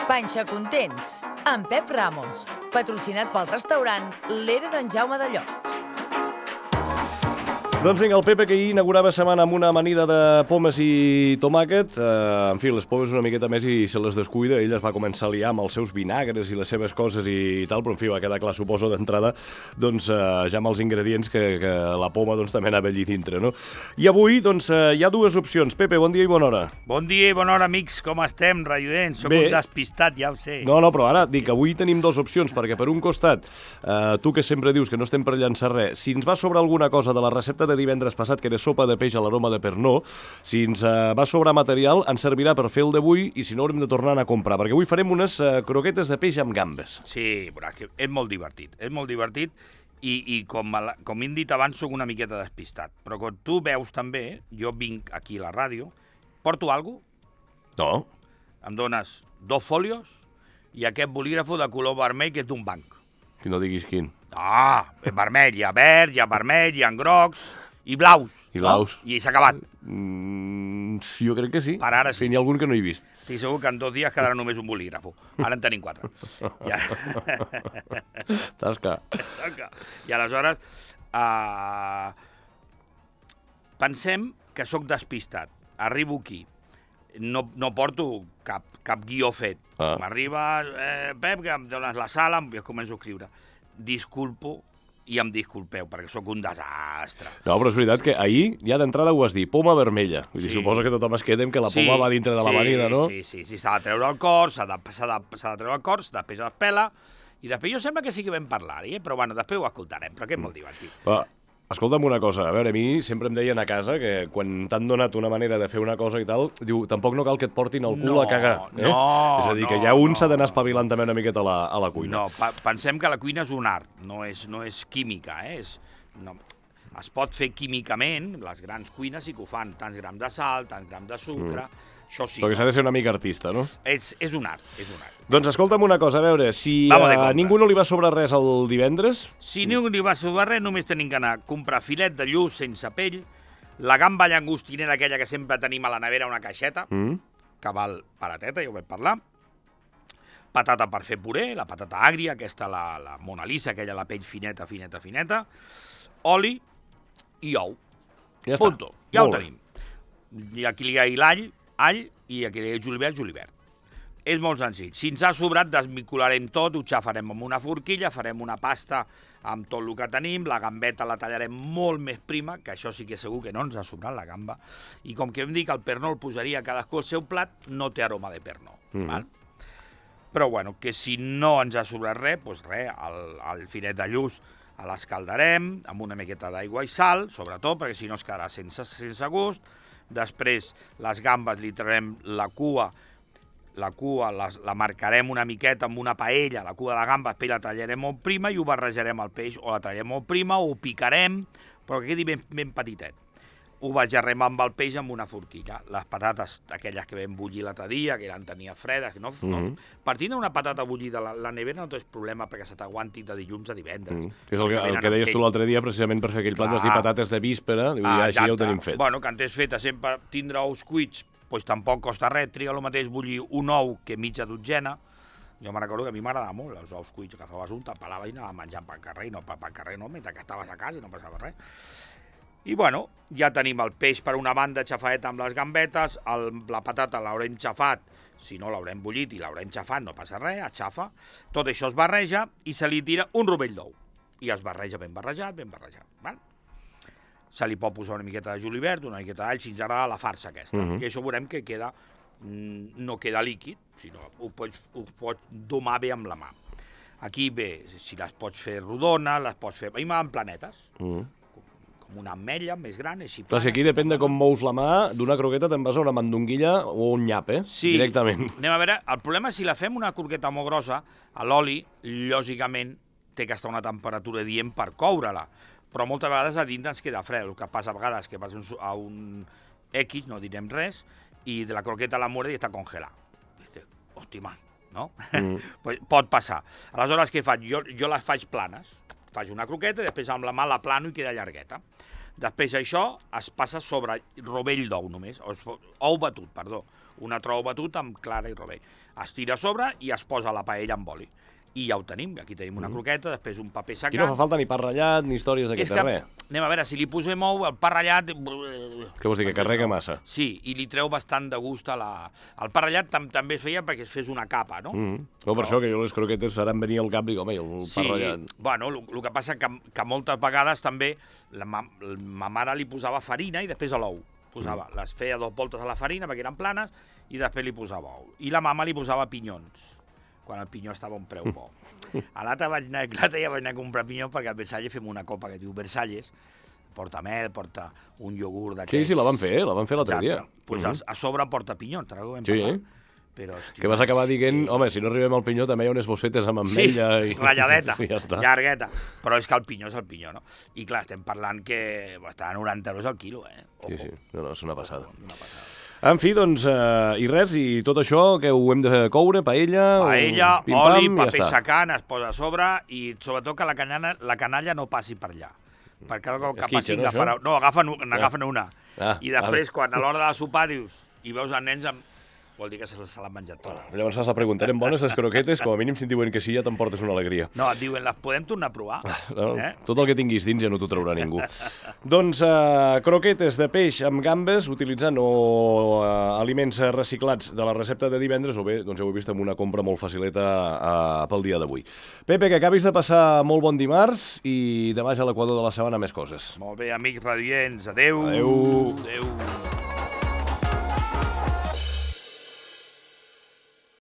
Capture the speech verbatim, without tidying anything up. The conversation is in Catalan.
Panxa Contents, amb Pep Ramos, patrocinat pel restaurant L'Era d'en Jaume de Llots. Doncs vinga, el Pepe, que ahir inaugurava setmana amb una amanida de pomes i tomàquet. Eh, en fi, les pomes una miqueta més i se les descuida. Ell es va començar a liar amb els seus vinagres i les seves coses i tal, però en fi, va quedar clar, suposo, d'entrada, doncs, eh, ja amb els ingredients que, que la poma doncs, també anava allí dintre, no? I avui, doncs, eh, hi ha dues opcions. Pepe, bon dia i bona hora. Bon dia i bona hora, amics. Com estem, raiodents? Soc Bé. un despistat, ja ho sé. No, no, però ara dic que avui tenim dues opcions, perquè per un costat, eh, tu que sempre dius que no estem per llançar res, si ens va sobrar alguna cosa de la recepta de divendres passat, que era sopa de peix a l'aroma de Pernod, si ens uh, va sobrar material, ens servirà per fer el d'avui i si no haurem de tornar a comprar, perquè avui farem unes uh, croquetes de peix amb gambes. Sí, però que és molt divertit, és molt divertit i, i com, a la, com hem dit abans, soc una miqueta despistat. Però com tu veus també, jo vinc aquí a la ràdio, porto alguna cosa, No. em dones dos fòlios i aquest bolígrafo de color vermell que és d'un banc. Que no diguis quin. Ah, és vermell, hi ha verd, hi ha vermell, hi ha grocs i blaus. I blaus. No? I s'ha acabat. Mm, sí, jo crec que sí. Per ara sí. N'hi ha algun que no he vist. Estic segur que en dos dies quedarà només un bolígrafo. Ara en tenim quatre. Ja. Tasca. I aleshores, uh, pensem que sóc despistat. Arribo aquí. No, no porto cap, cap guió fet. Ah. M'arriba, eh, Pep, que em dones la sala, i començo a escriure. Disculpo i em disculpeu, perquè sóc un desastre. No, però és veritat que ahir ja d'entrada ho has dit, poma vermella. Vull dir, Sí. suposo que tothom es queda amb que la Sí, poma va dintre de sí, l'amanida, no? Sí, sí, sí, s'ha de treure el cor, s'ha de, s'ha de, s'ha de treure el cor, després es pela, i després jo sembla que sí que vam parlar-hi, eh? Però bueno, després ho escoltarem, però que és molt divertit. Però, escolta'm una cosa, a veure, a mi sempre em deien a casa que quan t'han donat una manera de fer una cosa i tal, diu, tampoc no cal que et portin el cul No, a cagar. Eh? no, és a dir, que no, ja un no, s'ha d'anar no. espavilant també una miqueta a la, a la cuina. No, pa pensem que la cuina és un art, no és, no és química, eh? És, no, es pot fer químicament, les grans cuines sí que ho fan, tants grams de sal, tants grams de sucre, mm. això sí. Perquè s'ha de ser una mica artista, no? És, és un art, és un art. Doncs escolta'm una cosa, a veure, si Vamos de a compras. ningú no li va sobrar res el divendres, Si ningú li va sobrar res, només tenim que anar a comprar filet de lluç sense pell, la gamba llangostinera aquella que sempre tenim a la nevera, una caixeta, mm? que val barateta, ja ho vam parlar, patata per fer puré, la patata àgria, aquesta, la, la Mona Lisa, aquella, la pell fineta, fineta, fineta, oli i ou. Ja està. Punto. Ja Molt ho bé. tenim. I aquí li ha l'all, all, i aquí li ha julivert, julivert. És molt senzill. Si ens ha sobrat, desvincularem tot, ho xafarem amb una forquilla, farem una pasta amb tot el que tenim, la gambeta la tallarem molt més prima, que això sí que segur que no ens ha sobrat la gamba, i com que hem dit que el pernod el posaria cadascú al seu plat, no té aroma de pernod. Mhm. Val? Però bueno, que si no ens ha sobrat res, doncs res, el, el filet de lluç l'escaldarem amb una miqueta d'aigua i sal, sobretot, perquè si no es quedarà sense, sense gust. Després les gambes li traurem la cua, la cua la, la marcarem una miqueta amb una paella, la cua de la gamba, després la tallarem molt prima i ho barrejarem al peix, o la tallem molt prima, o ho picarem, però que quedi ben, ben petitet. Ho barrejarem amb el peix amb una forquilla. Les patates, aquelles que vam bullir l'altre dia, que eren tenia fredes, no, Mhm. no. Partint d'una patata bullida a la, la nevera no tens problema perquè se t'aguanti de dilluns a divendres. Mm. Que és el, que- el Venen que amb deies tu pell. l'altre dia, precisament per fer aquell plat, vas dir Clar. patates de víspera, i ja, així ja ho tenim fet. Bueno, que en tens feta sempre tindre ous cuits, doncs tampoc costa res, triga el mateix bullir un ou que mitja dotzena. Jo me'n recordo que a mi m'agradava molt els ous cuits, que agafaves un, te'l pelaves i anaves menjant pel carrer, i no pel carrer no, mentre que estaves a casa i no passava res. I bueno, ja tenim el peix per una banda xafaet amb les gambetes, el, la patata l'haurem xafat, si no l'haurem bullit i l'haurem xafat, no passa res, es xafa. Tot això es barreja i se li tira un rovell d'ou. I es barreja ben barrejat, ben barrejat. Val? Se li pot posar una miqueta de julivert, una miqueta d'all, si ens agrada la farsa aquesta. Mhm. I això veurem que queda, mm, no queda líquid, sinó ho pots, ho pots domar bé amb la mà. Aquí bé, si les pots fer rodones, les pots fer... A mi m'agraden planetes, Mm. com una ametlla més gran, així Clar, si aquí depèn de com mous la mà, d'una croqueta te'n vas a una mandonguilla o un nyap, eh? Sí. Directament. Anem a veure, el problema és si la fem una croqueta molt grossa, a l'oli, lògicament, té que estar a una temperatura dient per coure-la. Però moltes vegades a dintre ens queda fred. El que passa a vegades que vas a un X, no direm res, i de la croqueta la muerde i està congelada. Dius, hòstia, man, no? Mm. Pues pot passar. Aleshores, què faig? Jo, jo les faig planes. Faig una croqueta i després amb la mà la plano i queda llargueta. Després això es passa sobre rovell d'ou només, o, ou batut, perdó. una trou batut amb clara i rovell. Es tira a sobre i es posa la paella amb oli. I ja ho tenim, aquí tenim una croqueta, després un paper secat... Aquí no fa falta ni pa ratllat, ni històries d'aquest res. Anem a veure, si li posem ou, el pa ratllat... Què vols dir, que carrega massa? Sí, i li treu bastant de gust a la... El pa ratllat tam també es feia perquè es fes una capa, no? Mm. No, per no. això que jo les croquetes seran venir al cap i dic, home, el sí, pa ratllat... Bueno, el que passa que, que moltes vegades també la ma, ma mare li posava farina i després a l'ou. Posava, mm. les feia dos voltes a la farina perquè eren planes i després li posava ou. I la mama li posava pinyons, quan el pinyó estava a un preu bo. A l'altre vaig anar, l'altre ja vaig anar a comprar pinyó perquè al Versalles fem una copa que diu Versalles, porta mel, porta un iogurt d'aquests... Sí, sí, la van fer, eh? La van fer l'altre dia. Doncs pues mm -hmm. a sobre porta pinyó, te n'ho vam sí, parlar. Eh? Però, hòstia, que vas acabar dient, sí. home, si no arribem al pinyó també hi ha unes bossetes amb ametlla... Sí, i... ratlladeta, sí, ja està. llargueta. Però és que el pinyó és el pinyó, no? I clar, estem parlant que està a noranta euros al quilo, eh? Ojo. Sí, sí, no, no, és una passada. Ojo, una passada. En fi, doncs, eh, i res, i tot això que ho hem de coure, paella... Paella, pim, oli, pam, paper ja secant, es posa a sobre i sobretot que la canalla, la canalla no passi per allà. Per cada cop que passi no, agafarà... No, agafen, n'agafen una. Ah, I després, vale. quan a l'hora de sopar, dius, i veus els nens amb... Vol dir que se, se l'han menjat tot. Bueno, llavors has de preguntar, eren bones les croquetes? Com a mínim si et diuen que sí ja t'emportes una alegria. No, et diuen, les podem tornar a provar? No, eh? Tot el que tinguis dins ja no t'ho traurà ningú. Doncs uh, croquetes de peix amb gambes, utilitzant o uh, aliments reciclats de la recepta de divendres, o bé, doncs ja ho he vist, amb una compra molt facileta uh, pel dia d'avui. Pepe, que acabis de passar molt bon dimarts i demà ja a l'equador de la setmana més coses. Molt bé, amics radients. Adéu. Adéu. Adéu.